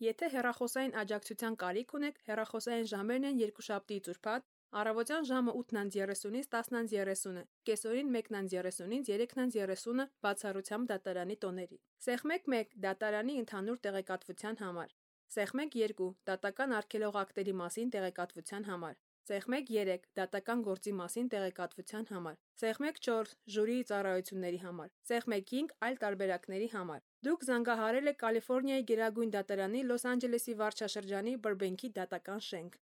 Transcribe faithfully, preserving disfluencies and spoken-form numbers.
Եթե հեռախոսային աջակցության կարիք ունեք, հեռախոսային ժամերն են երկուշաբթիից ուրբաթ, առավոտյան ժամը ութ երեսունից տասն երեսունը, կեսօրին մեկ երեսունից երեք երեսունը բացառությամբ դատարանի տոների։ Սեղմեք մեկ դատարանի ընդհանուր տեղեկատվության համար։ Սեղմեք երկու դատական արգելող ակտերի մասին տեղեկատվության համար։ Սեղմեք երեք դատական գործի մասին տեղեկատվության համար։ Սեղմեք չորս ժյուրիի ծառայությունների համար։ Սեղմեք հինգ այլ տարբերակների համար։ Դուք զանգահարել եք Կալիֆոռնիայի գերագույն դատարանի Լոս Անջելեսի վարչաշրջանի Բըրբենքի դատական շենք։